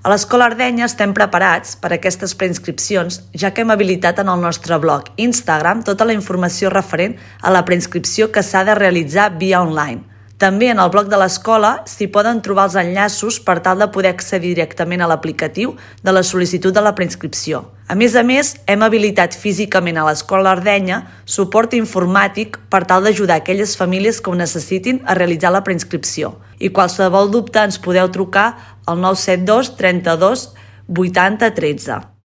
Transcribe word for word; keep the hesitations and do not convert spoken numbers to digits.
A l'Escola Ardenya estem preparats per a aquestes preinscripcions, ja que hem habilitat en el nostre blog Instagram tota la informació referent a la preinscripció que s'ha de realitzar via online. També en el blog de l'escola s'hi poden trobar els enllaços per tal de poder accedir directament a l'aplicatiu de la sol·licitud de la preinscripció. A més a més, hem habilitat físicament a l'Escola Ardenya suport informàtic per tal d'ajudar aquelles famílies que ho necessitin a realitzar la preinscripció. I qualsevol dubte ens podeu trucar al nou set dos trenta-dos vuitanta tretze.